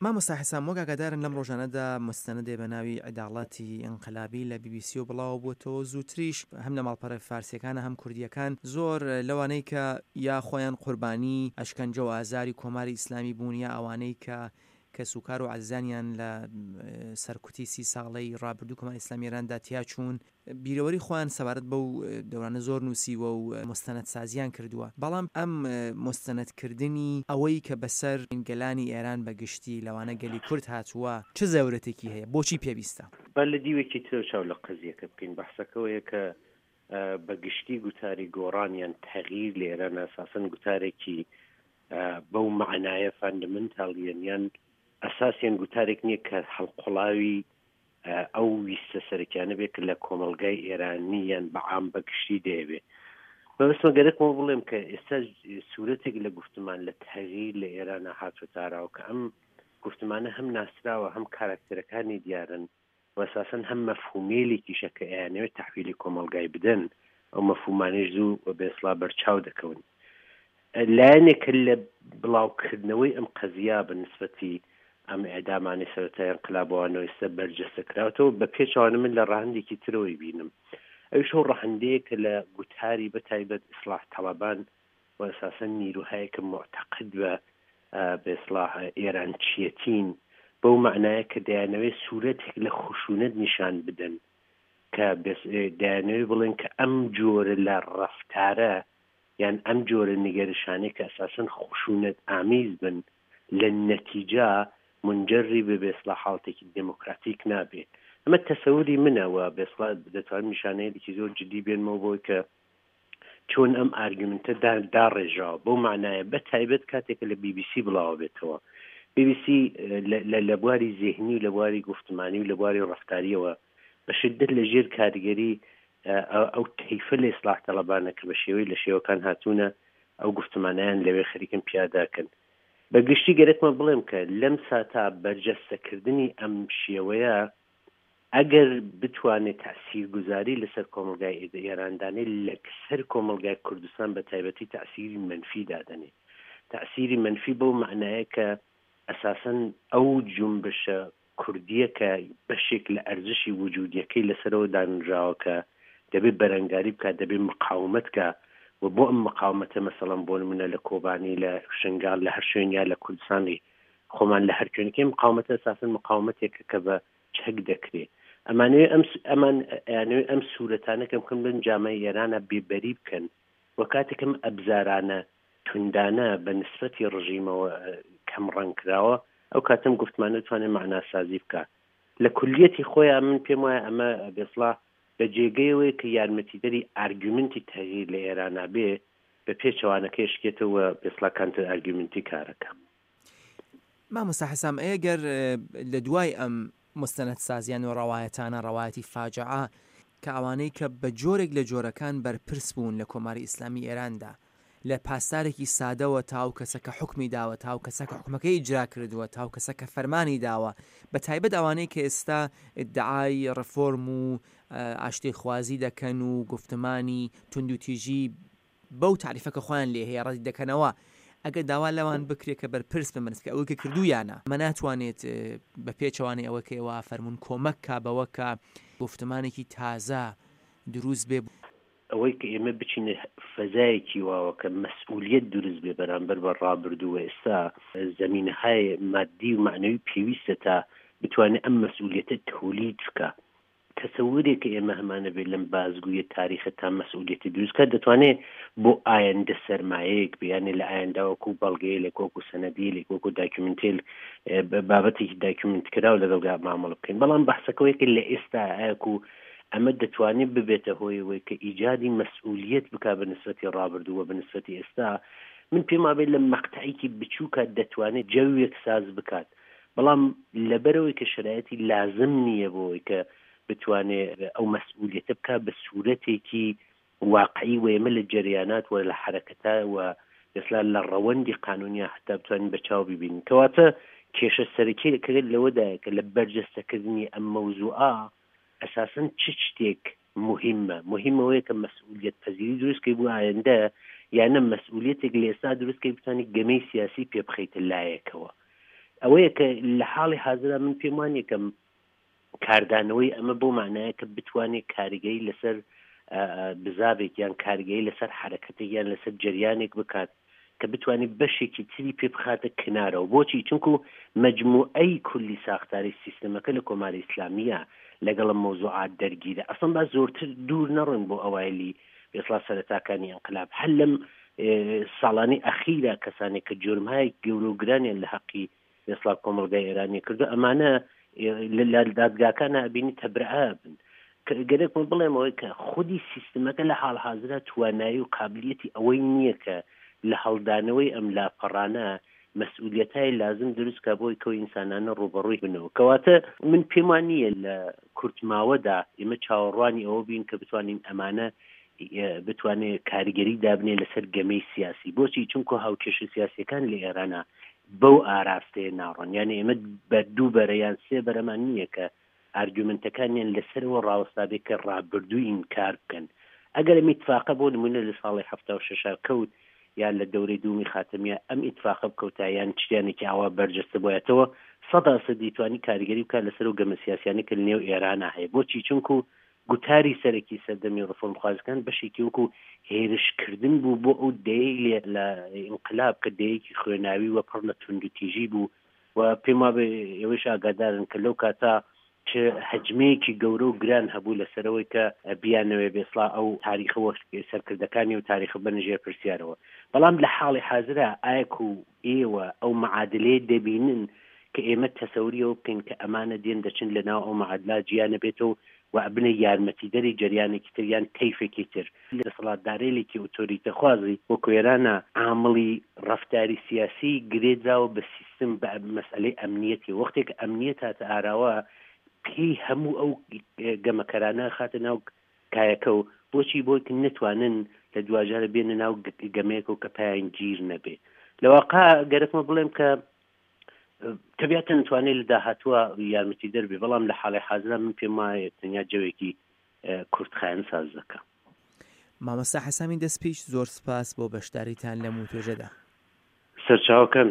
مامۆستا حسام وەک ئاگادارن لەم ڕۆژانەدا مستەندێ بە ناوی عداڵەتی ئینقلابی لە بی بی سیەوە بڵاوە بووەتەوە زووتریش هەم لە ماڵپەڕە فارسیەکانە هەم کوردیەکان زۆر لەوانەی کە یا خۆیان قوربانی ئەشکەنجە و ئازاری کۆماری ئیسلامی بوون یا ئەوانەی کە کەسوکار و عەزیزانیان لە سەرکوتی سی ساڵەی ڕابردوو کۆماری ئیسلامی ئێراندا تیاچوون بیرەوەری خۆیان سەبارەت بەو دەورانە زۆر نووسیوە و موستەنەدسازیان کردووە، بەڵام ئەم موستەنەدکردنی ئەوەی کە بەسەر گەلانی ئێران بە گشتی لەوانە گەلی کورد هاتووە چ زەرورەتێکی هەیە؟ بۆچی پێویستە؟ با لە دیوێکی ترەوە چاو لە قەزیەکە بکەین، بەحسەکە ئەوەیە کە بە گشتی گوتاری گۆڕان یان تەغییر لە ئێران ئەساسەن گوتارێکی بەو مەعنایە فاندەمنتاڵیەن یان ئەساسیەن گوتارێک نییە کە هەڵقوڵاوی ئەو ویستە سەرەکیانە بێت کە لە کۆمەڵگای ئێرانی یان بە عام بە گشتی دەیەوێ. مەبەستمە گەرەکمەوە بڵێم کە ئێستا سوورەتێک لە گوفتمان لە تەغییر لە ئێرانە هاتووەتە ئاراوە کە ئەم گوفتمانە هەم ناسراوە هەم کاراکتەرەکانی دیارن و ئەساسەن هەم مەفهومێلێکیشە کە ئەیانەوێت تەحویلی کۆمەڵگای بدەن ئەو مەفهومانەیش زوو و بێسڵا بەرچاو دەکەون. لایەنێک کە لە بڵاوکردنەوەی ئەم قەزییە بە نسبەتی ئەم ئێعدامانەی سەرەتای ئینقلابەوانەوە ئێستا بەرجەستە کراوەتەوە، بە پێچەوانە من لە ڕەهەندێکی ترەوەی بینم، ئەویش ئەو ڕەهەندەیە کە لە گوتاری بە تایبەت ئیسڵاح تەڵەبان و ئەساسەن نیروهایەک کە موعتەقد بە بە ئیسڵاح ئێرانچیەتین، بەو مەعنایە کە دەیانەوێ سوورەتێک لە خشوونەت نیشان بدەن کە دەیانەوێ بڵێن کە ئەم جۆرە لە ڕەفتارە یان ئەم جۆرە نیگەرشانەی کە ئەساسەن خشونەت ئامیز بن لە نەتیجە مونجەری بە بێسڵا حاڵەتێکی دێمۆکراتیک نابێ. ئەمە تەسەوری منە و بێسڵا دەتوانم نیشانەیەلێکی زۆر جدی بێنمەوە بۆی کە چۆن ئەم ئارگومنتە داڕێژراوە بەو مەعنایە بە تایبەت کاتێک کە لە بی بی سی بڵاوە بێتەوە. بی بی سی لە بواری زێهنی و لە بواری گوفتمانی و لە بواری ڕەفتاریەوە بە شدەت لە ژێر کاریگەری ئەو تەیفە لە ئیسڵاح تەڵەبانە کە بە شێوەی لە شێوەکان هاتوونە ئەو گوفتمانەیان لەوێ خەریکن پیاداکەن. بە گشتی گەرەکمە بڵێم کە لەم ساتا بەرجەستەکردنی ئەم شێوەیە ئەگەر بتوانێ تەئسیرگوزاری لەسەر کۆمەڵگای ئێران دانێ لەسەر کۆمەڵگای کوردستان بە تایبەتی تەئسیری مەنفی دادەنێ. تەئسیری مەنفی بەو مەعنایە کە ئەساسەن ئەو جونبشە کوردییە کە بەشێک لە ئەرزشی وجودییەکەی لەسەرەوە دانراوە کە دەبێ بەرەنگاری بکات، دەبێ مقاومەت کا و بۆ ئەم مقاومەتە مەسەڵەن بۆ نمونە لە کۆبانی، لە شنگال، لە هەر شوێن یا لە کوردستانی خۆمان لە هەر کوێنکەی مقاومەتە ئەساسەن مقاومەتێکە کە بە چەک دەکرێ. ئەمانەوێ ئەم ئەمان ئەیانەوێ ئەم سوورەتانە کەم کەم لەم جامای ئێرانە بێبەری بکەن و کاتێک ئەم ئەبزارانە توندانە بە نسبەتی ڕژیمەوە کەم ڕەنگ کراوە، ئەو کاتە ئەم گوفتمانە دەتوانێت مەعناسازی بکا. لە کولیەتی خۆیا من پێم وایە ئەمە بێسڵا بە جێگەیەوەیە کە یارمەتیدەری ئارگومنتی تەغییر لە ئێرانا بێ، بە پێچەوانەکەی ئەشکێتەوە و بێسڵا کانتر ئارگومنتی کارەکە. مامۆستا حەسام ئەگەر لە دوای ئەم موستەنەدسازیان و ڕەوایەتانە، ڕەوایەتی فاجعە، کە ئەوانەی کە بە جۆرێک لە جۆرەکان بەرپرس بوون لە کۆماری ئیسلامی ئێراندا، لە پاسدارێکی سادەوە تا ئەو کەسە کە حوکمی داوە، تا ئەو کەسە کە حوکمەکەی ئیجرا کردووە، تا ئەو کەسە کە فەرمانی داوە، بە تایبەت ئەوانەی کە ئێستا ئیدعای ڕێفۆرم و ئاشتیخوازی دەکەن و گوفتمانی توندوتیژی بەو تاریفە کە خۆیان لێ هەیە ڕەتی دەکەنەوە، ئەگەر داوا لەوان بکرێت کە بەرپرس بن بەنسبەت ئەوەی کە کردوویانە، ئەمە ناتوانێت بە پێچەوانەی ئەوەی کە ئێوە ئەفەرموون کۆمەک کا بەوە کە گوفتمانێکی تازە دروست بێ. ئەوەی کە ئێمە بچینە فەزایەکی واوە کە مەسئولیەت دروست بێ بەرامبەر بە ڕابردوو و ئێستا، زەمینەهای ماددی و مەعنەوی پێویستە تا بتوانێ ئەم مەسئولیەتە تەولید بکا. تەسەورێک کە ئێمە هەمانە بێ لەم بازگویە تاریخە تا مەسئولیەتی دروست کات دەتوانێ بۆ ئایندە سەرمایەیەک بێ یانێ لە ئایندە وەکوو بەڵگەیەلێک وەکوو سەنەدیەلێک وەکوو داکیومنتێل بابەتێکی داکیومنت کراو لەگەڵگا مامەڵە بکەین بەڵام بەحسەکەوەیە کە لە ئێستا ئاکوو ئەمە دەتوانێ ببێتە هۆی ئەوەی کە ئیجادی مەسئولیەت بکا بە نسبەتی ڕابردوو و بە نسبەتی ئێستا من پێم وابێ لە مەقتەعێکی بچووکا دەتوانێ جەوێک ساز بکات بەڵام لەبەرئەوەی کە شەرایتی لازم نییە بۆ ئەوەی کە بتوانێ ئەو مەسئولیەتە بکا بە سوورەتێکی واقعی و ئێمە لە جەریانات و لە حەرەکەتا و ئێستا لە ڕەوەندی قانوونیا حەتا بتوانین بە چاو ببینین. کەواتە کێشە سەرەکییەکە لەوەدایە کە لە بەرجەستەکردنی ئەم مەوزووعە ئەساسەن چ شتێک موهیمە؟ موهیم ئەوەیە کە مەسئولیەت پەزیری دروست کەی بۆ ئایندە یا نە مەسئولیەتێک لە ئێستا دروست کەی بتوانی گەمەی سیاسی پێ بخەیتە لایەکەوە. ئەوەیە کە لە حاڵی حازرا من پێم وانیە کە کاردانەوەی ئەمە بەو مەعنایە کە بتوانێت کاریگەری لەسەر بزاڤێک یان کاریگەری لەسەر حەرەکەتێک یان لەسەر جەریانێک بکات کە بتوانێت بەشێکی تری پێ بخاتە کنارەوە. بۆچی؟ چونکو مەجموعەی کولی ساختاری سیستەمەکە لە کۆماری ئیسلامییە لەگەڵ ئەم مەوزوعات دەرگیرە. ئەسڵەن با زۆرتر دوور نەڕۆین بۆ ئەوایلی بێسڵا سەرەتاکانی ئینقلاب. هەر لەم ساڵانەی ئەخیرا کەسانێک کە جورمهای گەورە و گرانیان لە هەقی ئێسڵا کۆمەڵگای ئێرانی کردو ئەمانە لە دادگاکانە ئەبینی تەبرئە بن. گەرەکمە بڵێم ئەوەی کە خودی سیستمەکە لە حاڵ حازرا توانایی و قابلیەتی ئەوەی نییە کە لە هەڵدانەوەی ئەم لاپەڕانە مەسئولیەتای لازم دروست کا بۆی کەو ئینسانانە ڕووبەڕووی بنەوە. کەواتە من پێم وا نییە لە کورتماوەدا ئێمە چاوەڕوانی ئەوە بین کە بتوانین ئەمانە بتوانێ کاریگەری دابنێ لەسەر گەمەی سیاسی. بۆچی؟ چونکو هاوکێشە سیاسیەکان لە ئێرانا بەو ئاراستەیە ناڕۆن. یانێ ئێمە بە دوو بەرە یان سێ بەرەمان نییە کە ئارگومنتەکانیان لەسەرەوە ڕاوەستابێ کە ڕابردوو ئینکار بکەن. ئەگەر ئەم ئیتفاقە بۆ نموونە لە ساڵی 76 کەوت یان لە دەورەی دوومی خاتەمییا ئەم ئیتفاقە بکەوتا یان چریانێکی ئاوا بەرجەستە بوایەتەوە سەدا سەد دەیتوانی کاریگەری بکات لەسەر ئەو گەمە سیاسیانەی کە لەنێو ئێرانا هەیە. بۆچی؟ چونکو گوتاری سەرەکی سەردەمی ڕفۆرمخوازەکان بەشێکی وەکو هێرشکردن بوو بۆ ئەو دەیەی لێ لە ئینقلاب کە دەیەکی خوێناوی و پڕ لە توندوتیژی بوو و پێم وابێ ئێوەیش ئاگادارن کە لەو کاتە چ هەجمەیەکی گەورە و گران هەبوو لەسەرەوەی کە بیانەوێ بێسڵا ئەو تاریخە وەک سەرکردەکانی و تاریخە بەنە ژێر پرسیارەوە. بەڵام لە حاڵی حازرا ئایەکو ئێوە ئەو مەعادلەیە دەبینن کە ئێمە تەسەوری ئەوە بکەین کە ئەمانە دێن دەچن لە ناو ئەو مەعادلە جیا نەبێتەوە و ئەبنە یارمەتیدەری جەریانێکی تر یان تەیفێکی تر. دەسەڵاتدارەیلێکی ئۆتۆریتەخوازی وەکو ئێرانە عامڵی ڕەفتاری سیاسی گرێ دراوە بە سیستم بە مەسئەلەی ئەمنیەتی وەختێک ئەمنیەت هاتە ئاراوە پێی هەموو ئەو گەمەکەرانە خاتە ناو کایەکە و بۆچی بۆی کە نەتوانن لە دواجارە بێنە ناو گەمەیەکەوە کە پایان گیر نەبێ لە واقع گەرەکمە بڵێم کە تەبیعەتەن توانێت لە داهاتووە یارمەتیدەر بێ بەڵام لە حاڵی حازرا من پێم وایە تەنیا جەوێکی کورتخایەن ساز دەکا. مامۆستا حەسامی دەستپیش زۆر سپاس بۆ بەشداریتان لەم وتوێژەدا. سەرچاوەکان.